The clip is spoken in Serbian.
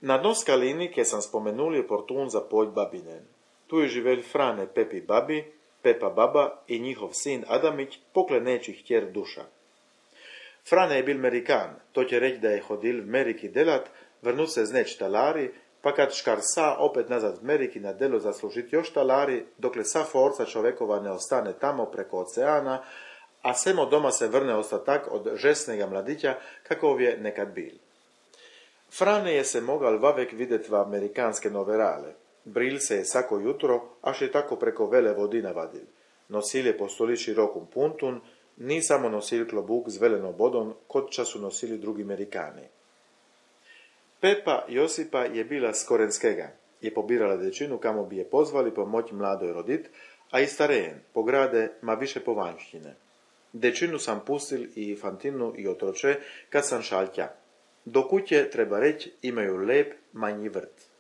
Na dno skalini, kje sam spomenuli portun za poľ babinen. Tu je živel Frane Pepi babi, Pepa baba i njihov sin Adamić, pokleneći htjer duša. Frane je bil Amerikan, to će reći da je hodil v Ameriki delat, vrnut se zneč talari, pa kad škarsa opet nazad v Ameriki na delo zaslužit još talari, dokle sa forca čovekova ne ostane tamo preko oceana, a semo doma se vrne ostatak od žesnega mladića, kakov je nekad bil. Frane je se mogal vavek videt v amerikanske noverale. Bril se je sako jutro, až je tako preko vele vodi navadil. Nosil je po stoli širokum puntun, ni samo nosil klobuk z veleno bodom, kot ča su nosili drugi Amerikani. Pepa Josipa je bila z Korenskega. Je pobirala dečinu, kamo bi je pozvali pomoć mladoj rodit, a i starejen, po grade, ma više povanjštine. Dečinu sam pustil i Fantinu i otroče, kad sam šal tja. Do kuće, treba reći, imaju lep manji vrt.